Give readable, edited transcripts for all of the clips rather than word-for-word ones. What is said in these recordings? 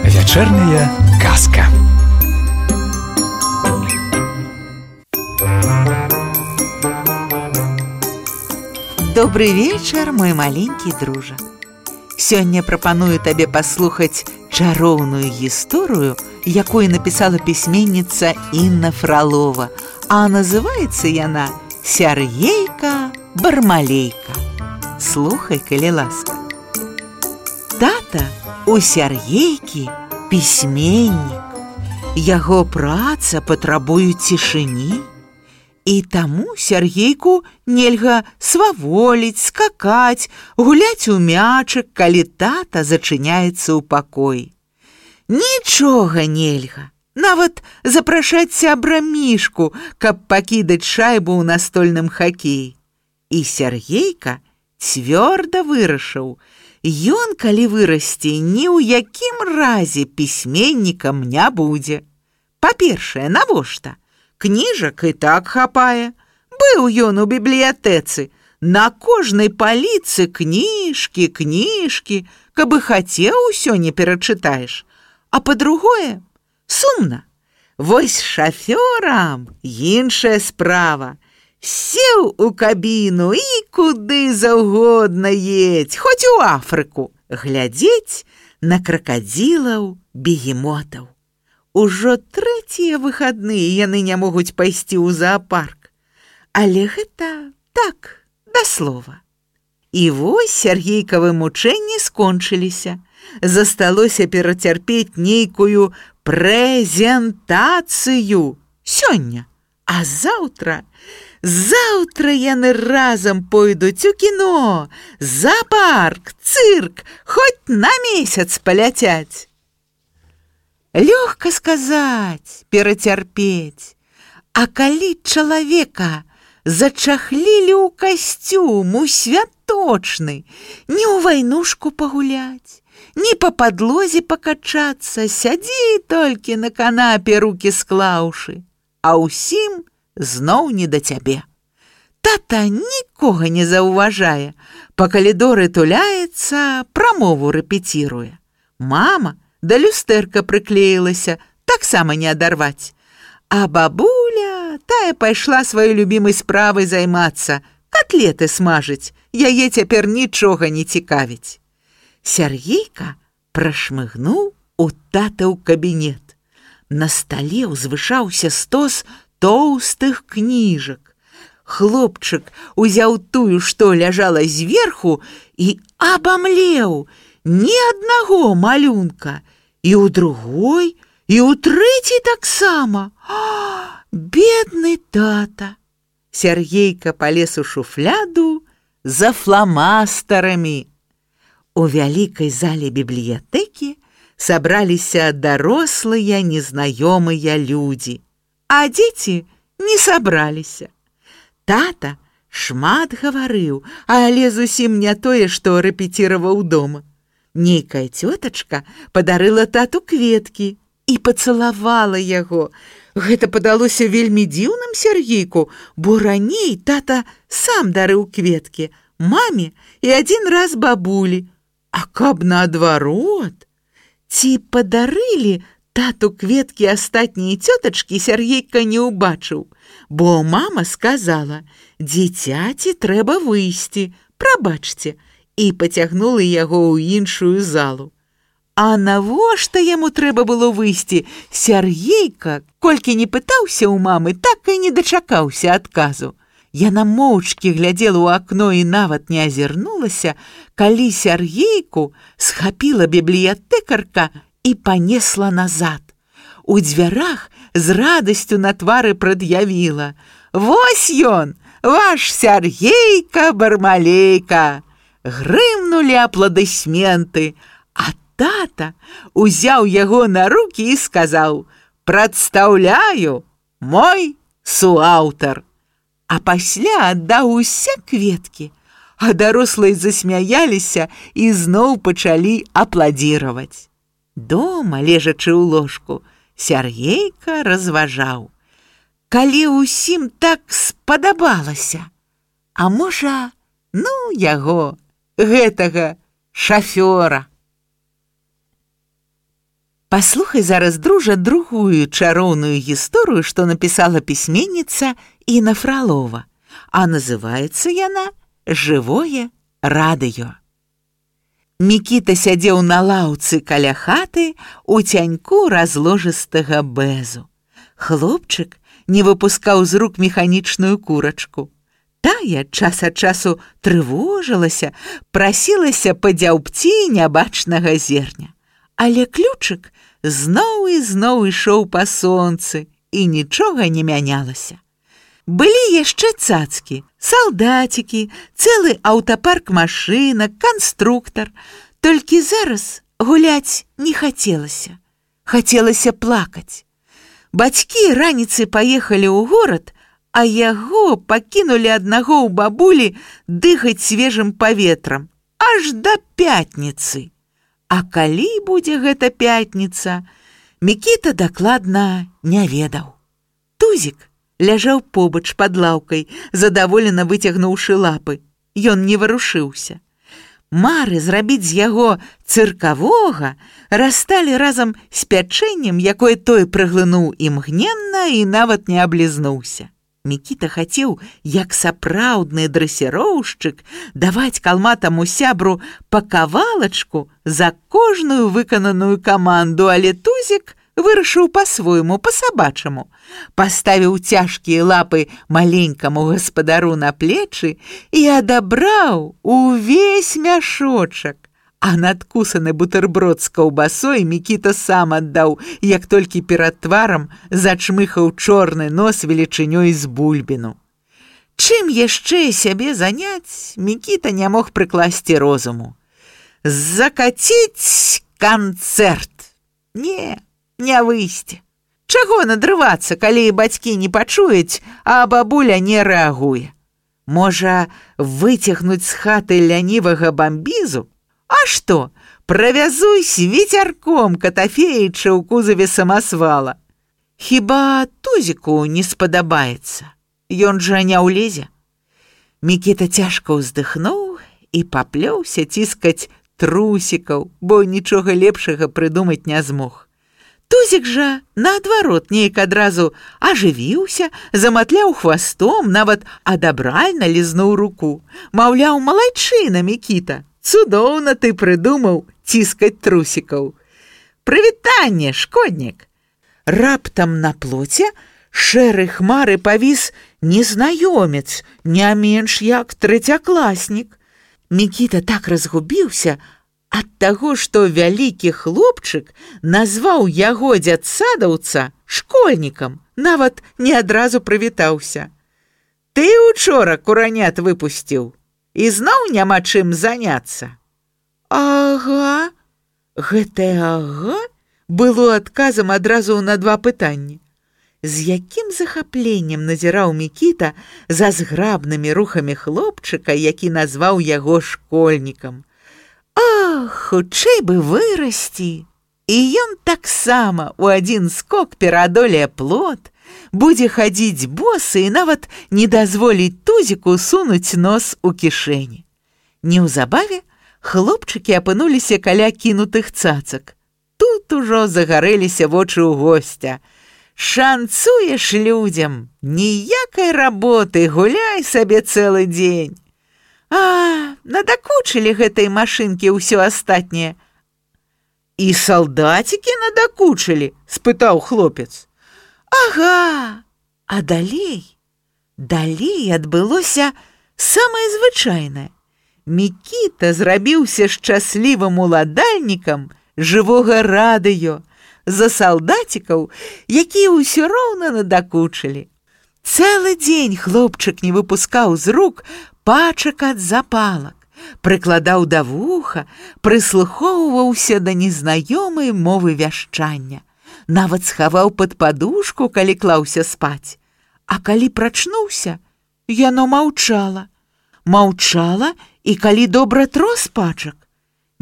Вечерняя казка. Добрый вечер, мой маленький дружа. Сёння прапаную табе паслухаць чароўную гісторыю, якую напісала пісьменніца Інна Фролова, а называецца яна «Сяргейка-бармалейка». Слухай, калі ласка. Тата у Сяргейкі пісьменнік. Яго праца патрабуе цішыні, і таму Сяргейку нельга сваволіць, скакаць, гуляць у мячык, калі тата зачыняецца ў пакоі. Нічога нельга, нават запрашаць сябра Мішку, каб пакідаць шайбу ў настольным хакеі. І Сяргейка цвёрда вырашыў, ён, калі вырасце, ні ў якім разе пісьменнікам не будзе. Па-першае, навошта? Кніжак і так хапае. Быў ён у бібліятэцы. На кожнай паліцы кніжкі, каб і хацеў, усё не перачытаеш. А па-другое, сумна. Вось шафёрам іншая справа. Сеў у кабіну і куды заўгодна едзь, хоць у Афрыку, глядзець на кракадзілаў, бегемотаў. Ужо трэція выхадныя яны не могуць пайсці ў зоапарк. Але гэта так, да слова. І вось Сяргейкавы мучэнні скончыліся. Засталося перацярпець нейкую прэзентацыю сёння. А заўтра яны разам пойдуць у кіно, зоапарк, цырк, хоць на месяц паляцяць. Лёгка сказаць, перацярпець, а калі чалавека зачахлілі ў касцюм, у святочны, не ў вайнушку пагуляць, не па падлозе пакачацца, сядзі толькі на канапе, рукі склаўшы, а ўсім зноў не да цябе. Тата нікога не заўважае, па калідоры туляецца, прамову рэпеціруе. Мама да люстэрка прыклеілася, таксама не адарваць. А бабуля, тая пайшла сваёй любімай справай займацца, котлеты смажыць, яе цяпер нічога не цікавіць. Сяргейка прашмыгнуў у тата ў кабінет. На стале ўзвышаўся стос тоўстых кніжак. Хлопчык узяў тую, што ляжала зверху, і абамлеў. Ні аднаго малюнка. І ў другой, і ў трэцяй таксама. Бедны тата! Сяргейка палез у шуфляду за фламастарамі. У вялікай зале бібліятэкі сабраліся дарослыя незнаёмыя людзі, а дзеці не сабраліся. Тата шмат гаварыў, але зусім не тое, што рэпеціраваў дома. Нейкая цётачка падарыла тату кветкі і пацалавала яго. Гэта падалося вельмі дзіўным Сяргейку, бо раней тата сам дарыў кветкі маме і адзін раз бабулі. А каб наадварот? Ці падарылі тату кветкі астатнія цётачкі, Сяргейка не ўбачыў, бо мама сказала: «Дзіцяці трэба выйсці, прабачце», і пацягнула яго ў іншую залу. А навошта яму трэба было выйсці? Сяргейка, колькі не пытаўся ў мамы, так і не дачакаўся адказу. Яна моўчкі глядзела ў акно і нават не азірнулася, калі Сяргейку схапіла бібліятэкарка і панесла назад. У дзвярах з радасцю на твары прад'явіла: «Вось ён, ваш Сяргейка-бармалейка!» Грымнулі апладысменты, а тата узяў яго на рукі і сказаў: «Прадстаўляю, мой суаўтар». А пасля аддаў усе кветкі, а дарослыя засмяяліся і зноў пачалі апладзіраваць. Дома, лежачы ў ложку, Сяргейка разважаў: калі ўсім так спадабалася. А можа, яго, гэтага шафёра. Паслухай зараз, дружа, другую чароўную гісторыю, што напісала пісьменніца Інна Фралова, а называецца яна «Жывое радыё». Мікіта сядзеў на лаўцы каля хаты у цяньку разложыстага бэзу. Хлопчык не выпускаў з рук механічную курачку. Тая час ад часу трывожылася, прасілася падзяўбці нябачнага зерня. Але ключык зноў і зноў ішоў па сонцы, і нічога не мянялася. Былі яшчэ цацкі, салдацікі, цэлы аўтапарк машынак, канструктар. Толькі зараз гуляць не хацелася. Хацелася плакаць. Бацькі раніцай паехалі ў горад, а яго пакінулі аднаго ў бабулі дыхаць свежым паветрам аж да пятніцы. А калі будзе гэта пятніца, Мікіта дакладна не ведаў. Тузік ляжаў побач пад лаўкай, задаволена выцягнуўшы лапы. Ён не варушыўся. Мары зрабіць з яго цыркавога расталі разам з пячэннем, якое той праглынуў імгненна і нават не аблізнуўся. Мікіта хацеў, як сапраўдны дрэсіроўшчык, даваць калматаму сябру па кавалачку за кожную выкананую каманду, але Тузік вырашыў па-свойму, па-сабачаму. Паставіў цяжкія лапы маленькаму гаспадару на плечы і адабраў увесь мяшочак. А надкусаны бутэрброд з каўбасой Мікіта сам аддаў, як толькі перад тварам зачмыхаў чорны нос велічынёй з бульбіну. Чым яшчэ сябе заняць, Мікіта не мог прыкласці розуму. Закаціць канцэрт. Не выйсці. Чаго надрывацца, калі бацькі не пачуюць, а бабуля не рэагуе? Можа, выцягнуць з хаты лянівага бамбізу? А што, правязусь вецярком Катафеіча ў кузаве самасвала. Хіба Тузіку не спадабаецца? Ён жа не ўлезе. Мікіта цяжка ўздыхнуў і паплёўся ціскаць трусікаў, бо нічога лепшага прыдумаць не змог. Тузік жа, наадварот, неяк адразу ажывіўся, заматляў хвастом, нават адабральна лізнуў руку. Маўляў, малайчына, Мікіта, цудоўна ты прыдумаў ціскаць трусікаў. Прывітанне, шкоднік! Раптам на плоце шэры хмары павіс незнаёмец, не менш як трэцякласнік. Мікіта так разгубіўся ад таго, што вялікі хлопчык назваў яго дзядсадаўца школьнікам, нават не адразу прывітаўся. Ты учора куранят выпусціў, і зноў няма чым заняцца. Ага, гэтае ага было адказам адразу на два пытанні. З якім захапленнем назіраў Мікіта за зграбнымі рухамі хлопчыка, які назваў яго школьнікам. Ах, хутчэй бы вырасці! І ён таксама ў адзін скок пераадолее плот, будзе хадзіць босы і нават не дазволіць Тузіку сунуць нос у кішэні. Неўзабаве хлопчыкі апынуліся каля кінутых цацак. Тут ужо загарэліся вочы ў госця. Шанцуеш людзям, ніякай работы, гуляй сабе цэлы дзень. А, надакучылі гэтай машынкі ўсё астатняе. І салдацікі надакучылі? Спытаў хлопец. Ага, а далей адбылося самае звычайнае. Мікіта зрабіўся шчаслівым уладальнікам жывога радыё за салдацікаў, якія ўсё роўна надакучылі. Цэлы дзень хлопчык не выпускаў з рук пачак ад запалак, прыкладаў да вуха, прыслухоўваўся да незнаёмай мовы вяшчання, нават схаваў пад падушку, калі клаўся спаць. А калі прачнуўся, яно маўчала. Маўчала і калі добра трос пачак.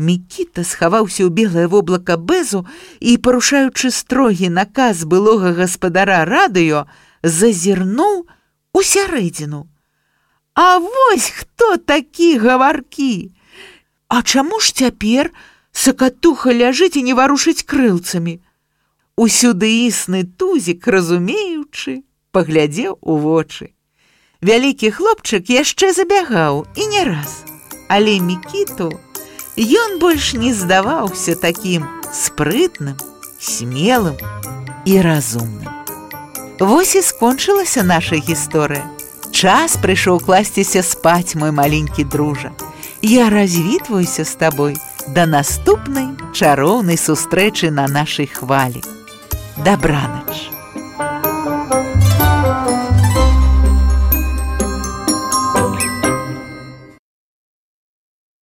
Мікіта схаваўся ў белае воблака бэзу і, парушаючы строгі наказ былога гаспадара радыё, зазірнуў у сярэдзіну. А вось хто такі гаваркі? А чаму ж цяпер сакатуха ляжыць і не варушыць крылцамі? Усюдыісны тузік, разумеючы, паглядзеў у вочы. Вялікі хлопчык яшчэ забягаў, і не раз. Але Мікіту ён больш не здаваўся такім спрытным, смелым і разумным. Вось і скончылася наша гісторыя. Час прыйшоў класціся спаць, мой маленькі дружа. Я развітваюся з табой да наступнай чароўнай сустрэчы на нашай хвалі. Дабранач!